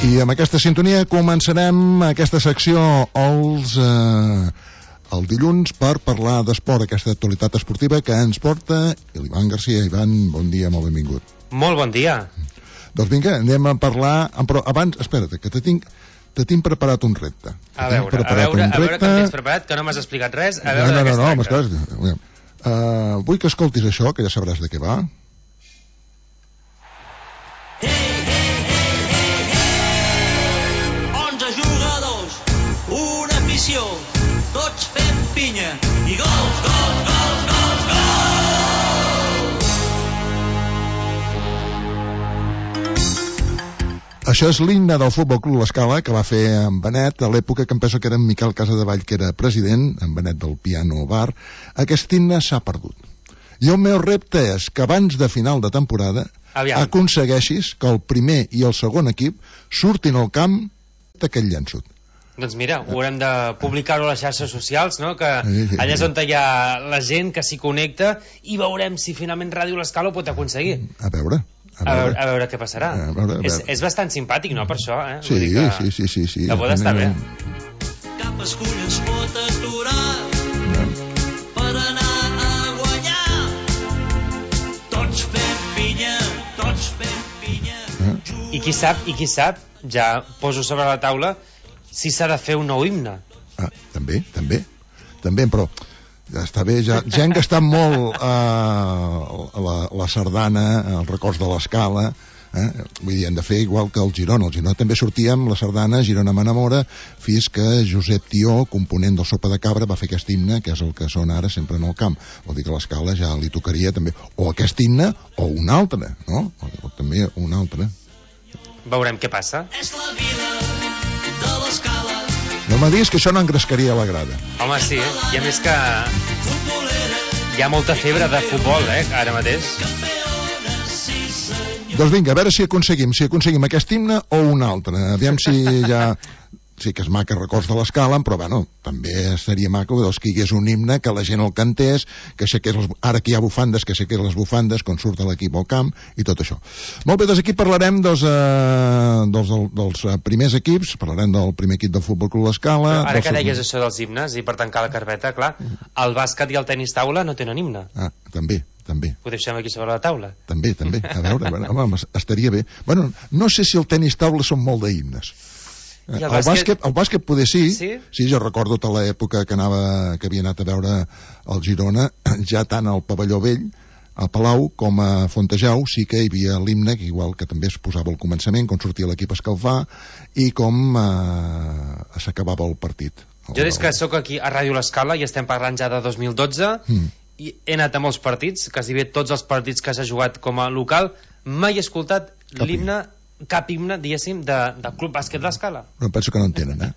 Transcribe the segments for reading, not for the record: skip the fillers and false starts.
I amb aquesta sintonia començarem aquesta secció el dilluns per parlar d'esport, aquesta actualitat esportiva que ens porta l'Ivan Garcia. Ivan, bon dia, molt benvingut. Molt bon dia. Doncs vinga, anem a parlar, però abans, espera't, que te tinc preparat un repte. A veure que em tens preparat, que no m'has explicat res, a veure de què es tracta. Vull que escoltis això, que ja sabràs de què va. 11 jugadors, una afició, tots fent pinya i gols, gols, gols, gols, gols! Això és l'himne del Futbol Club L'Escala que va fer en Benet a l'època que em penso que era en Miquel Casadevall, que era president, en Benet del Piano Bar. Aquest himne s'ha perdut. I el meu repte és que abans de final de temporada aconsegueixis que el primer i el segon equip surtin al camp d'aquest llençut. Doncs mira, ho haurem de publicar-ho a les xarxes socials, no? Que allà és on hi ha la gent que s'hi connecta i veurem si finalment Ràdio L'Escala ho pot aconseguir. A veure què passarà. És bastant simpàtic, no, per això, eh? Sí. Que pot estar bé. Cap escull es pot aturar per anar a guanyar. Tots fem pinya, tots fem pinya. I qui sap, ja poso sobre la taula si s'ha de fer un nou himne. També, però ja està bé, ja hem gastat molt la sardana, els records de l'Escala, vull dir, hem de fer igual que el Girona. El Girona també sortia amb la sardana Girona m'enamora, fins que Josep Tió, component del Sopa de Cabra, va fer aquest himne, que és el que sona ara sempre en el camp. Vol dir que l'Escala ja li tocaria també o aquest himne o un altre, no? O també un altre. Veurem què passa. És la vida de l'Escala. No me diguis que això no engrescaria la grada. Home, sí, i a més que hi ha molta febre de futbol, ara mateix. Doncs vinga, a veure si aconseguim aquest himne o un altre. Aviam si ja... Sí que és maca records de l'Escala, però bueno, també seria maco que hi hagués un himne, que la gent el cantés, que ara que hi ha bufandes, que aixequés les bufandes quan surt l'equip al camp i tot això. Molt bé, doncs aquí parlarem dels primers equips, parlarem del primer equip del Futbol Club L'Escala. Ara que deies això dels himnes, i per tancar la carpeta, clar, el bàsquet i el tenis taula no tenen himne. També. Ho deixem aquí sobre la taula. També. A veure, home, estaria bé. Bueno, no sé si el tenis taula són molt d'himnes. El bàsquet poder sí, jo recordo tota l'època que havia anat a veure el Girona, ja tant al Pavelló Vell, a Palau, com a Fontejau, sí que hi havia l'himne, que igual que també es posava al començament, quan sortia l'equip a escalfar, i com s'acabava el partit. Jo des que sóc aquí a Ràdio L'Escala, i estem parlant ja de 2012, i he anat a molts partits, quasi bé tots els partits que s'ha jugat com a local, mai he escoltat l'himne, cap himne, diguéssim, del Club Bàsquet L'Escala. Però penso que no en tenen,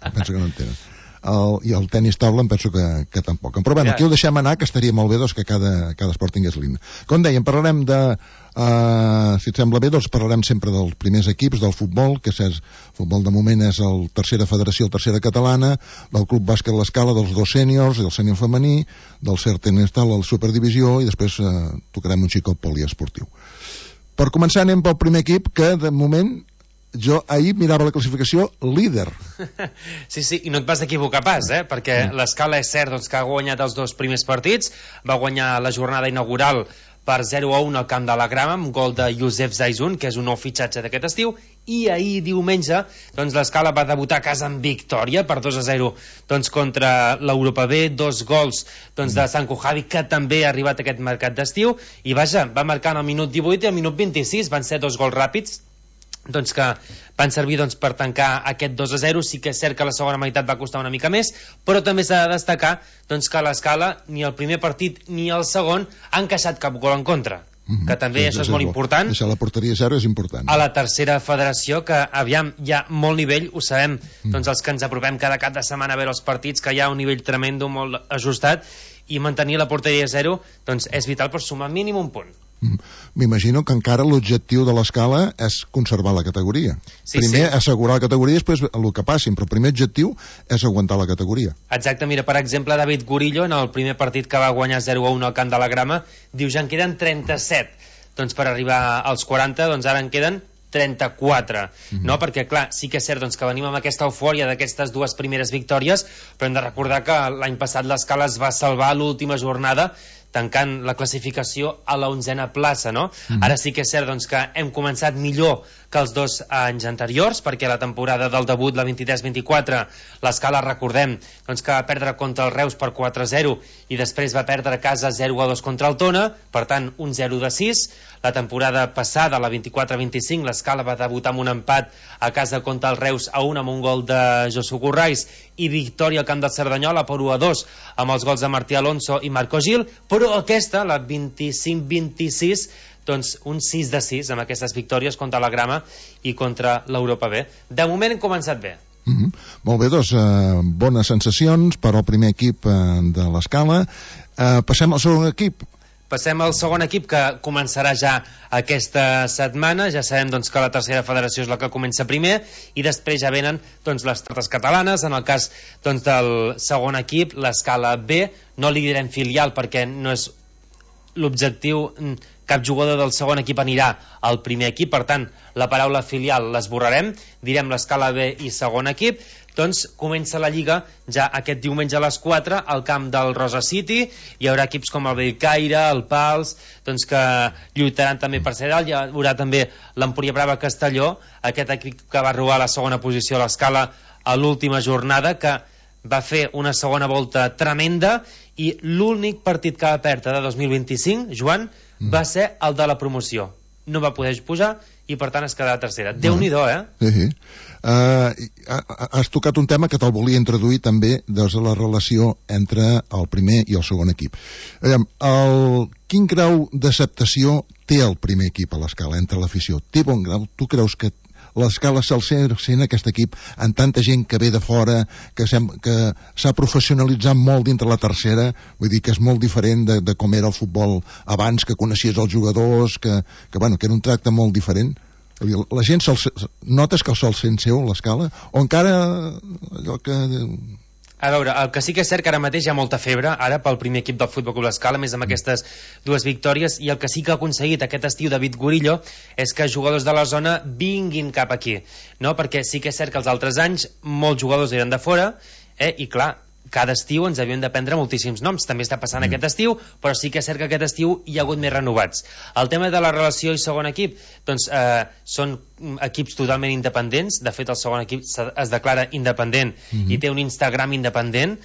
I el tenis taula em penso que tampoc. Però bueno, aquí ho deixem anar, que estaria molt bé doncs, que cada esport tingués l'himne. Com dèiem, parlarem si et sembla bé, doncs parlarem sempre dels primers equips del futbol, que és futbol de moment és el tercera federació, el tercera catalana, del Club Bàsquet L'Escala, dels dos sèniors, del sènior femení, del cert tenis taula, la superdivisió, i després tocarem un xic al poliesportiu. Per començar anem pel primer equip, que de moment jo ahir mirava la classificació líder. Sí, i no et vas equivocar pas, perquè l'Escala és cert que ha guanyat els dos primers partits, va guanyar la jornada inaugural per 0-1 al camp de la Grama, amb gol de Youssef Zaizun, que és un nou fitxatge d'aquest estiu, i ahir diumenge l'Escala va debutar a casa amb victòria per 2-0 contra l'Europa B, 2 gols de Sanko Javi, que també ha arribat a aquest mercat d'estiu, i vaja, va marcar en el minut 18 i al minut 26, van ser 2 gols ràpids que van servir per tancar aquest 2-0. Sí que és cert que la segona meitat va costar una mica més, però també s'ha de destacar que l'Escala ni el primer partit ni el segon han encaixat cap gol en contra, que també això és molt important. Deixar la porteria 0 és important. A la tercera federació, que aviam, hi ha molt nivell, ho sabem, els que ens apropem cada cap de setmana a veure els partits, que hi ha un nivell tremendo, molt ajustat, i mantenir la porteria 0 és vital per sumar mínim un punt. M'imagino que encara l'objectiu de l'Escala és conservar la categoria. Primer assegurar la categoria, després el que passin, però el primer objectiu és aguantar la categoria. Exacte, mira, per exemple, David Gurillo, en el primer partit que va guanyar 0-1 al camp de la Grama, diu ja en queden 37. Per arribar als 40, ara en queden 34, no? Perquè, clar, sí que és cert doncs, que venim amb aquesta eufòria d'aquestes dues primeres victòries, però hem de recordar que l'any passat l'Escala es va salvar a l'última jornada tancant la classificació a la 11a plaça, no? Ara sí que és cert doncs, que hem començat millor que els 2 anys anteriors, perquè la temporada del debut, la 23-24, l'Escala, recordem, doncs, que va perdre contra el Reus per 4-0 i després va perdre a casa 0-2 contra el Tona, per tant, un 0-6. La temporada passada, la 24-25, l'Escala va debutar amb un empat a casa contra el Reus a 1 amb un gol de Josu Currais i victòria al camp del Cerdanyola per 1-2 amb els gols de Martí Alonso i Marco Gil, però aquesta, la 25-26, doncs un 6-6 amb aquestes victòries contra la Grama i contra l'Europa B. De moment hem començat bé. Molt bé, doncs, bones sensacions per al primer equip de l'Escala. Passem al segon equip. Passem al segon equip, que començarà ja aquesta setmana. Ja sabem doncs, que la tercera federació és la que comença primer i després ja venen doncs, les terres catalanes. En el cas doncs, del segon equip, l'Escala B, no li direm filial perquè no és l'objectiu. Cap jugador del segon equip anirà al primer equip, per tant la paraula filial l'esborrarem, direm l'Escala B i segon equip. Doncs comença la Lliga ja aquest diumenge a les 4 al camp del Rosa City. Hi haurà equips com el Bellcaire, el Pals, doncs que lluitaran també per ser dalt. Hi haurà també l'Empúria Brava Castelló, aquest equip que va robar la segona posició a l'Escala a l'última jornada, que va fer una segona volta tremenda, i l'únic partit que va perdre de 2025, Joan, va ser el de la promoció. No va poder pujar i per tant es quedarà tercera. Déu-n'hi-do, eh? Sí. Has tocat un tema que te'l volia introduir també des de la relació entre el primer i el segon equip. Quin grau d'acceptació té el primer equip a l'Escala entre l'afició? Té bon grau? Tu creus que l'Escala se'l sent aquest equip amb tanta gent que ve de fora, que s'ha professionalitzat molt dintre la tercera, vull dir que és molt diferent de com era el futbol abans, que coneixies els jugadors, que era un tracte molt diferent? La gent notes que se'l sent seu, l'Escala? O encara allò que... A veure, el que sí que és cert que ara mateix hi ha molta febre, ara pel primer equip del Futbol Club l'Escala, més amb aquestes dues victòries, i el que sí que ha aconseguit aquest estiu David Gurillo és que jugadors de la zona vinguin cap aquí, no? Perquè sí que és cert que els altres anys molts jugadors eren de fora, i clar, cada estiu ens havíem de prendre moltíssims noms. També està passant aquest estiu, però sí que és cert que aquest estiu hi ha hagut més renovats. El tema de la relació i segon equip, doncs són equips totalment independents. De fet, el segon equip es declara independent i té un Instagram independent.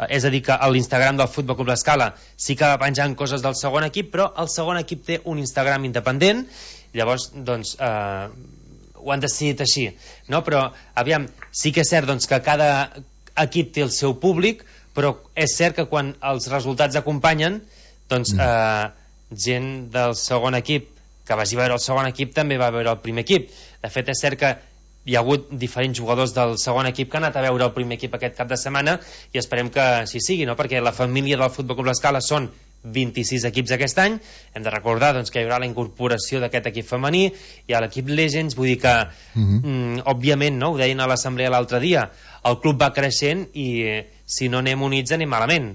És a dir, que a l'Instagram del Futbol Club l'Escala sí que va penjant coses del segon equip, però el segon equip té un Instagram independent. Llavors, doncs... ho han decidit així, no? Però, aviam, sí que és cert doncs, que cada equip té el seu públic, però és cert que quan els resultats acompanyen, doncs gent del segon equip que vagi a veure el segon equip també va a veure el primer equip. De fet, és cert que hi ha hagut diferents jugadors del segon equip que han anat a veure el primer equip aquest cap de setmana i esperem que així sigui, no? Perquè la família del Futbol Club l'Escala són 26 equips aquest any. Hem de recordar doncs, que hi haurà la incorporació d'aquest equip femení, hi ha l'equip Legends, vull dir que òbviament, no? Ho deien a l'assemblea l'altre dia, el club va creixent i si no anem units anem malament,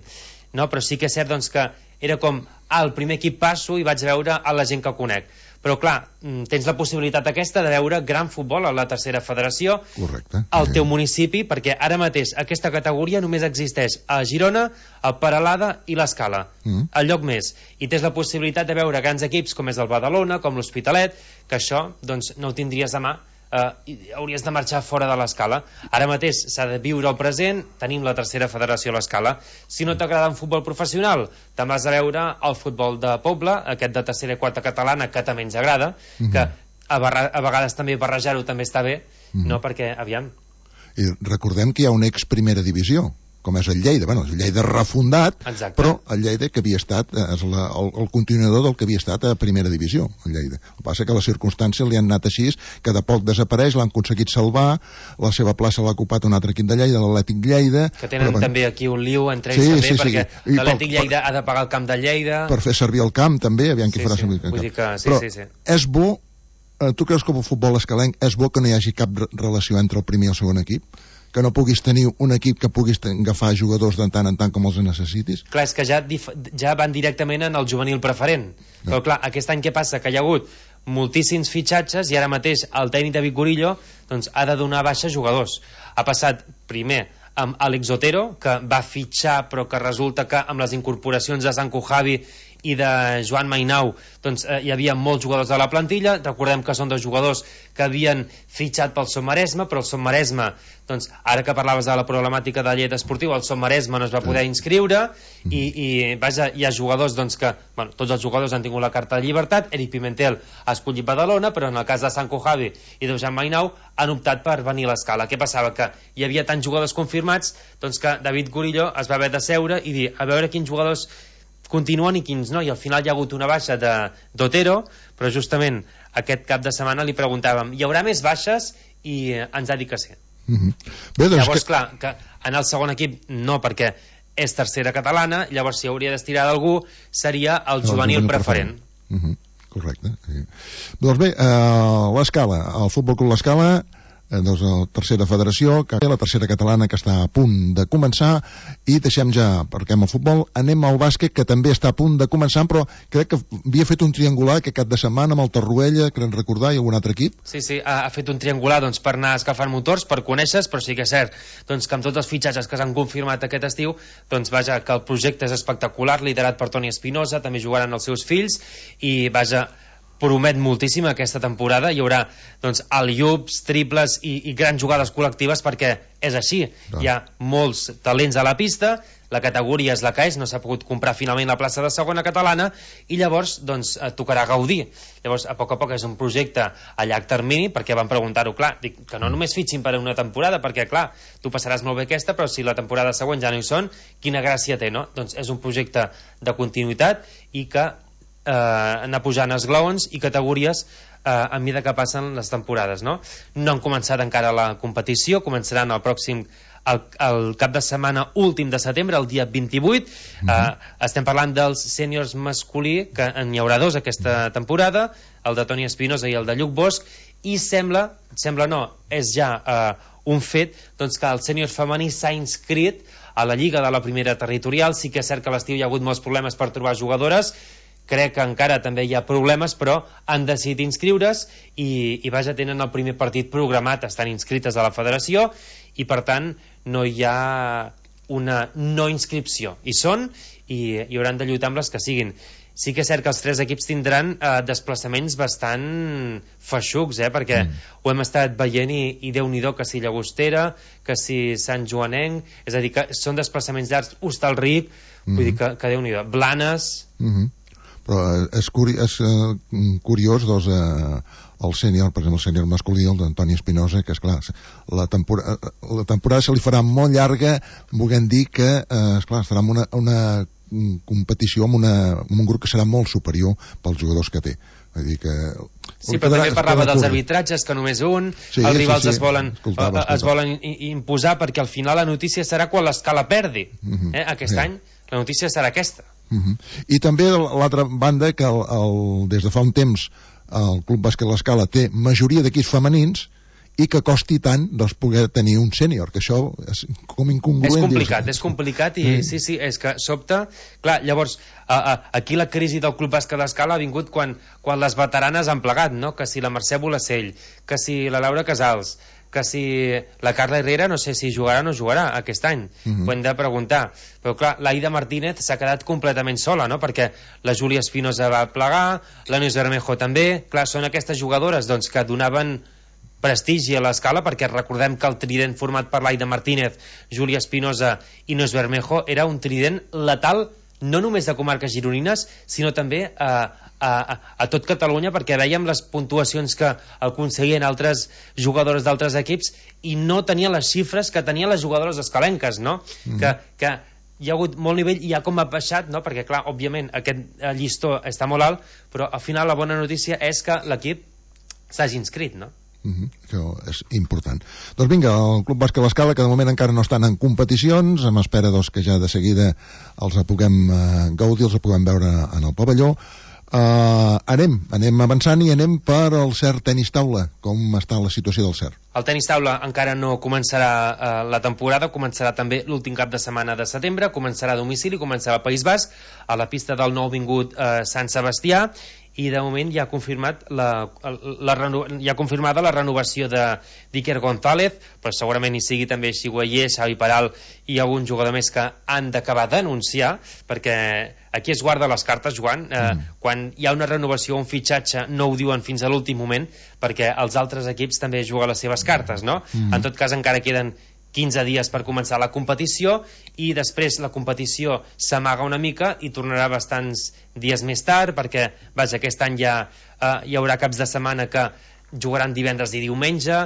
no? Però sí que és cert doncs, que era com al primer equip passo i vaig veure a la gent que conec. Però clar, tens la possibilitat aquesta de veure gran futbol a la tercera federació. Correcte. Al teu municipi, perquè ara mateix aquesta categoria només existeix a Girona, a Peralada i l'Escala, al lloc més. I tens la possibilitat de veure grans equips com és el Badalona, com l'Hospitalet, que això doncs, no ho tindries demà, hauries de marxar fora de l'Escala. Ara mateix s'ha de viure el present, tenim la tercera federació a l'Escala. Si no t'agrada un futbol professional, te'n vas a veure el futbol de poble, aquest de tercera i quarta catalana, que també ens agrada, que a vegades també barrejar-ho també està bé, no? Perquè, aviam... I recordem que hi ha una ex-primera divisió, com és el Lleida. Bueno, el Lleida refundat, exacte. Però el Lleida que havia estat és el continuador del que havia estat a primera divisió, el Lleida. El que passa que les circumstàncies li han anat així, que de poc desapareix, l'han aconseguit salvar, la seva plaça l'ha ocupat un altre equip de Lleida, l'Atlètic Lleida... Que tenen també aquí un liu entre ells també, perquè l'Atlètic Lleida ha de pagar el camp de Lleida... Per fer servir el camp també, aviam qui farà servir el camp. Vull dir que, però és bo, tu creus que el futbol escalenc és bo que no hi hagi cap relació entre el primer i el segon equip? Que no puguis tenir un equip que puguis agafar jugadors de tant en tant com els necessitis? Clar, és que ja van directament en el juvenil preferent. Però clar, aquest any què passa? Que hi ha hagut moltíssims fitxatges i ara mateix el tècnic David Gorillo doncs, ha de donar baixa jugadors. Ha passat primer amb Alex Otero, que va fitxar però que resulta que amb les incorporacions de Sanko Javi i de Joan Mainau doncs, hi havia molts jugadors de la plantilla. Recordem que són dos jugadors que havien fitxat pel Somaresme, però el Somaresme, doncs, ara que parlaves de la problemàtica de la llei esportiu, el Somaresme no es va poder inscriure i vaja, hi ha jugadors doncs, que, bueno, tots els jugadors han tingut la carta de llibertat. Eric Pimentel ha escollit Badalona, però en el cas de Sanko Javi i de Joan Mainau han optat per venir a l'Escala. Què passava? Que hi havia tants jugadors confirmats doncs, que David Gorillo es va haver de seure i dir a veure quins jugadors continuen i quins no, i al final hi ha hagut una baixa d'Otero, però justament aquest cap de setmana li preguntàvem hi haurà més baixes i ens ha dit que sí. Bé, doncs llavors clar, que en el segon equip no, perquè és tercera catalana, llavors si hauria d'estirar d'algú seria el juvenil preferent. Correcte, sí. Doncs bé, l'Escala, el Futbol Club l'Escala, doncs la tercera federació, que la tercera catalana, que està a punt de començar, i deixem ja, perquè amb el futbol anem al bàsquet, que també està a punt de començar, però crec que havia fet un triangular aquest cap de setmana amb el Torroella, crec recordar, i algun altre equip. Sí, ha fet un triangular doncs, per anar escalfant motors, per conèixer, però sí que és cert doncs, que amb tots els fitxatges que s'han confirmat aquest estiu, doncs vaja, que el projecte és espectacular, liderat per Toni Espinosa, també jugaran els seus fills, i vaja, promet moltíssim aquesta temporada. Hi haurà doncs, al-iups, triples i grans jugades col·lectives, perquè és així, hi ha molts talents a la pista, la categoria és la que és, no s'ha pogut comprar finalment la plaça de segona catalana i llavors doncs, tocarà gaudir. Llavors a poc és un projecte a llarg termini, perquè van preguntar-ho, clar, dic, que no només fitxin per una temporada, perquè clar, tu passaràs molt bé aquesta, però si la temporada següent ja no hi són, quina gràcia té, no? Doncs és un projecte de continuïtat i que anar pujant esglaons i categories a mesura que passen les temporades, no? No han començat encara la competició, començaran el pròxim el cap de setmana últim de setembre, el dia 28. Estem parlant dels sèniors masculí, que n'hi haurà dos aquesta temporada, el de Toni Espinosa i el de Lluc Bosch, i sembla no, és ja un fet doncs, que el sènior femení s'ha inscrit a la Lliga de la Primera Territorial. Sí que és cert que a l'estiu hi ha hagut molts problemes per trobar jugadores, crec que encara també hi ha problemes, però han decidit inscriure's i vaja, tenen el primer partit programat, estan inscrites a la federació i per tant no hi ha una no inscripció, hi són i hauran de lluitar amb les que siguin. Sí que és cert que els tres equips tindran desplaçaments bastant feixucs, perquè ho hem estat veient i Déu-n'hi-do, que si Llagostera, que si Sant Joanenc, és a dir, que són desplaçaments llargs, Hostalric, vull dir que Déu-n'hi-do, Blanes... Però és curiós doncs, el sènior, per exemple el sènior masculí, el d'Antoni Espinosa, que esclar, la temporada se li farà molt llarga, volent dir que esclar, estarà en una competició amb un grup que serà molt superior pels jugadors que té. Vull dir que... Sí, però també parlava dels arbitratges, que només un, els rivals es volen imposar, perquè al final la notícia serà quan l'Escala perdi. Aquest any la notícia serà aquesta. I també l'altra banda, que des de fa un temps el Club Bàsquet l'Escala té majoria d'equips femenins i que costi tant doncs, poder tenir un sènior, que això és com incongruent. És complicat i sí, és que sobta. Clar, llavors, aquí la crisi del Club Bàsquet l'Escala ha vingut quan les veteranes han plegat, no? Que si la Mercè Bolacell, que si la Laura Casals, que si la Carla Herrera, no sé si jugarà o no jugarà aquest any, ho hem de preguntar, però clar, l'Aida Martínez s'ha quedat completament sola, no? Perquè la Júlia Espinosa va plegar, la Neus Bermejo també, clar, són aquestes jugadores doncs, que donaven prestigi a l'Escala, perquè recordem que el trident format per l'Aida Martínez, Júlia Espinosa i Neus Bermejo era un trident letal no només de comarques gironines, sinó també a tot Catalunya, perquè veiem les puntuacions que aconseguien altres jugadores d'altres equips i no tenia les xifres que tenien les jugadores escalenques, no? Que hi ha hagut molt nivell i ja com ha baixat, no? Perquè clar, òbviament aquest llistó està molt alt, però al final la bona notícia és que l'equip s'hagi inscrit, no? Això és important. Doncs vinga, el Club Bàsquet l'Escala, que de moment encara no estan en competicions, amb espera doncs, que ja de seguida els puguem gaudir, els puguem veure en el pavelló. Anem avançant i anem per al CERT Tenis Taula. Com està la situació del CERT? El tenis taula encara no començarà la temporada, començarà també l'últim cap de setmana de setembre, començarà a domicili, començarà al País Basc, a la pista del nou vingut Sant Sebastià, i de moment ja ha confirmat confirmada la renovació de d'Iker González, però segurament hi sigui també Xiguayer, Xavi Peral i algun jugador més que han d'acabar d'anunciar, perquè aquí es guarda les cartes, Joan. Quan hi ha una renovació o un fitxatge no ho diuen fins a l'últim moment, perquè els altres equips també juguen les seves cartes, no? En tot cas encara queden 15 dies per començar la competició i després la competició s'amaga una mica i tornarà bastants dies més tard, perquè vaja, aquest any ja hi haurà caps de setmana que jugaran divendres i diumenge,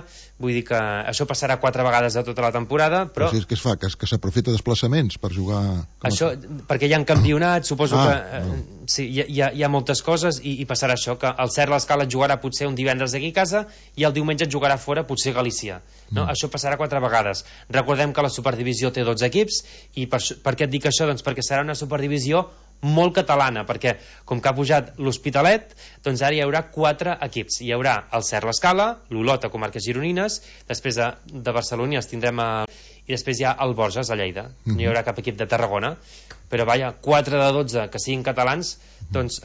vull dir que això passarà 4 vegades a tota la temporada, però si és que es fa, que s'aprofita desplaçaments per jugar... Això, perquè hi ha campionats, suposo que sí, hi ha moltes coses i passarà això, que el Ser l'Escala jugarà potser un divendres aquí a casa i el diumenge jugarà fora, potser a Galícia, no? Això passarà 4 vegades. Recordem que la Superdivisió té 12 equips i per què et dic això? Doncs perquè serà una Superdivisió molt catalana, perquè com que ha pujat l'Hospitalet, doncs ara hi haurà 4 equips. Hi haurà el Ser l'Escala, l'Olot a Comarques Gironines, després de Barcelona tindrem i després hi ha el Borges a Lleida. No hi haurà cap equip de Tarragona, però vaja, 4 de 12 que siguin catalans, doncs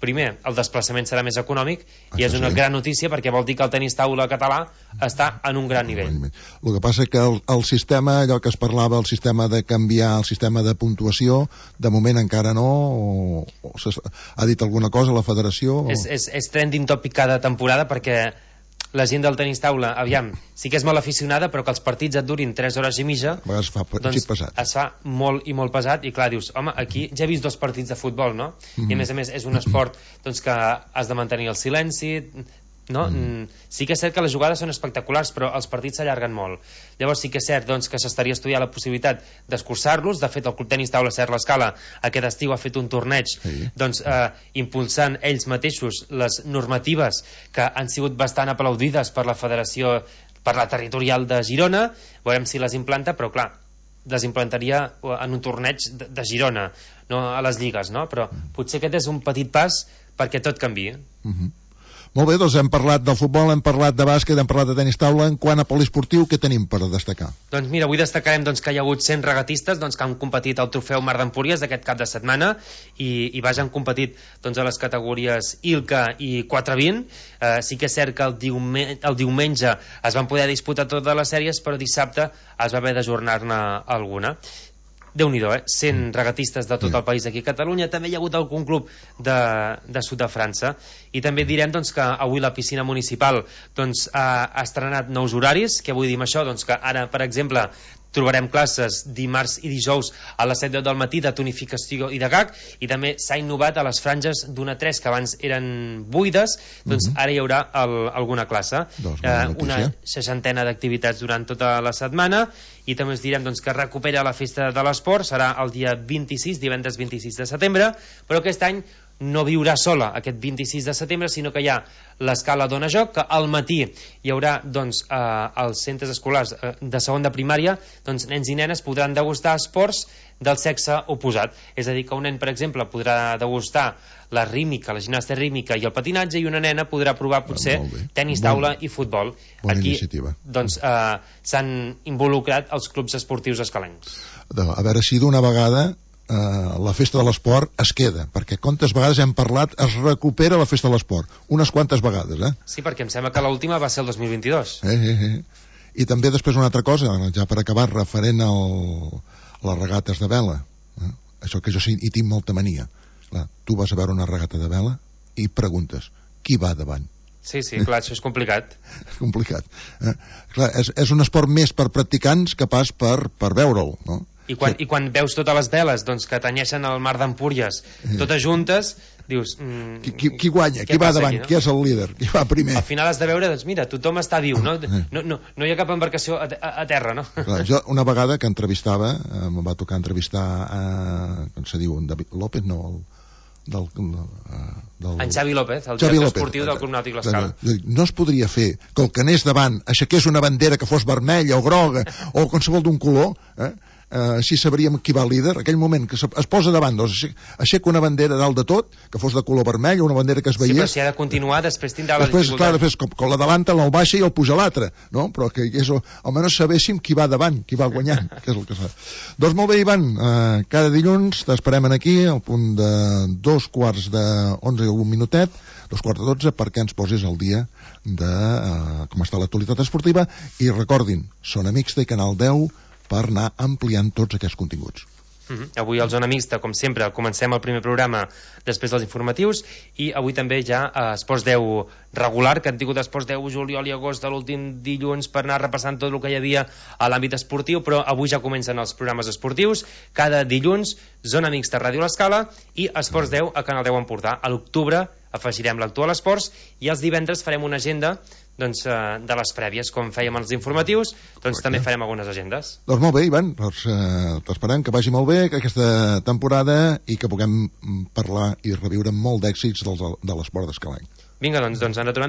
primer, el desplaçament serà més econòmic i és una gran notícia perquè vol dir que el tenis taula català està en un gran nivell. El que passa que el sistema, allò que es parlava, el sistema de canviar el sistema de puntuació, de moment encara no, o ha dit alguna cosa la federació? És trending topic cada temporada perquè la gent del tenis taula, aviam, sí que és molt aficionada, però que els partits et durin 3 hores i mitja, es fa pesat. Es fa molt i molt pesat, i clar, dius, home, aquí ja he vist 2 partits de futbol, no? I a més és un esport doncs, que has de mantenir el silenci, no? Sí que és cert que les jugades són espectaculars, però els partits s'allarguen molt. Llavors sí que és cert doncs, que s'estaria estudiant la possibilitat d'escurçar-los. De fet, el Club Tenis Taula Ser l'Escala aquest estiu ha fet un torneig doncs, impulsant ells mateixos les normatives que han sigut bastant aplaudides per la federació, per la territorial de Girona. Veurem si les implanta, però clar, les implantaria en un torneig de Girona, no a les lligues, no? Però potser aquest és un petit pas perquè tot canvia. Molt bé, doncs hem parlat del futbol, hem parlat de bàsquet, hem parlat de tenis taula. En quant a poliesportiu, què tenim per destacar? Doncs mira, avui destacarem doncs, que hi ha hagut 100 regatistes doncs, que han competit al trofeu Mar d'Empúries d'aquest cap de setmana i vaja, han competit doncs, a les categories ILCA i 420. Sí que és cert que el diumenge es van poder disputar totes les sèries, però dissabte es va haver d'ajornar-ne alguna. Déu-n'hi-do, 100 regatistes de tot el país aquí a Catalunya. També hi ha hagut algun club de sud de França. I també direm doncs, que avui la piscina municipal doncs, ha estrenat nous horaris. Què vull dir amb això? Doncs que ara, per exemple, trobarem classes dimarts i dijous a les 7 del matí de tonificació i de gag, i també s'ha innovat a les franges d'1 a 3 que abans eren buides, doncs ara hi haurà alguna classe, una 60 d'activitats durant tota la setmana. I també us direm doncs, que recupera la festa de l'esport, serà el dia 26, divendres 26 de setembre, però aquest any no viurà sola aquest 26 de setembre, sinó que hi ha l'escala Dona Joc, que al matí hi haurà doncs, als centres escolars de segon de primària, doncs, nens i nenes podran degustar esports del sexe oposat. És a dir, que un nen, per exemple, podrà degustar la rítmica, la gimnàstica rítmica i el patinatge, i una nena podrà provar potser tenis taula i futbol. Aquí doncs, s'han involucrat els clubs esportius escalencs. A veure si d'una vegada la festa de l'esport es queda, perquè quantes vegades hem parlat, es recupera la festa de l'esport, unes quantes vegades, Sí, perquè em sembla que l'última va ser el 2022. I també després una altra cosa, ja per acabar, referent a les regates de vela, això que jo sí hi tinc molta mania. Clar, tu vas a veure una regata de vela i preguntes, qui va davant? Sí, clar, això és complicat. És complicat. Clar, és un esport més per practicants que pas per veure'l, no? I quan veus totes les veles doncs, que tenyeixen el Mar d'Empúries totes juntes, dius... Qui guanya? Qui va davant? Qui és el líder? Qui va primer? Al final has de veure, doncs mira, tothom està viu, no hi ha cap embarcació a terra, no? Clar, jo una vegada que entrevistava, em va tocar entrevistar com se diu, David López, no, en Xavi López, el director esportiu del Club Nàutic L'Escala. No es podria fer que el que anés davant aixequés una bandera que fos vermella o groga o qualsevol d'un color, així sabríem qui va líder, aquell moment que es posa davant, doncs aixeca una bandera dalt de tot, que fos de color vermell, una bandera que es veiés. Sí, però si ha de continuar, després tindrà la després, dificultat. clar, després, com l'adelanta, el baixa i el puja l'altre, no? Però que és, almenys sabéssim qui va davant, qui va guanyant, que és el que fa. Doncs molt bé, Ivan, cada dilluns t'esperem aquí, al punt de 2:11 i un minutet, 2:12, perquè ens posis al dia de com està l'actualitat esportiva, i recordin, Zona Mixta i Canal 10 per anar ampliant tots aquests continguts. Avui al Zona Mixta, com sempre, comencem el primer programa després dels informatius, i avui també ja a Esports 10 regular, que han tingut Esports 10 juliol i agost de l'últim dilluns per anar repassant tot el que hi havia a l'àmbit esportiu, però avui ja comencen els programes esportius. Cada dilluns, Zona Mixta, Ràdio L'Escala, i Esports 10 a Canal 10 Empordà. A l'octubre afegirem l'actual esports, i els divendres farem una agenda doncs, de les prèvies, com fèiem els informatius, doncs també farem algunes agendes. Doncs molt bé, Ivan, doncs, t'esperem que vagi molt bé aquesta temporada i que puguem parlar i reviure molt d'èxits de l'esport d'escalany. Vinga, doncs ens retrobem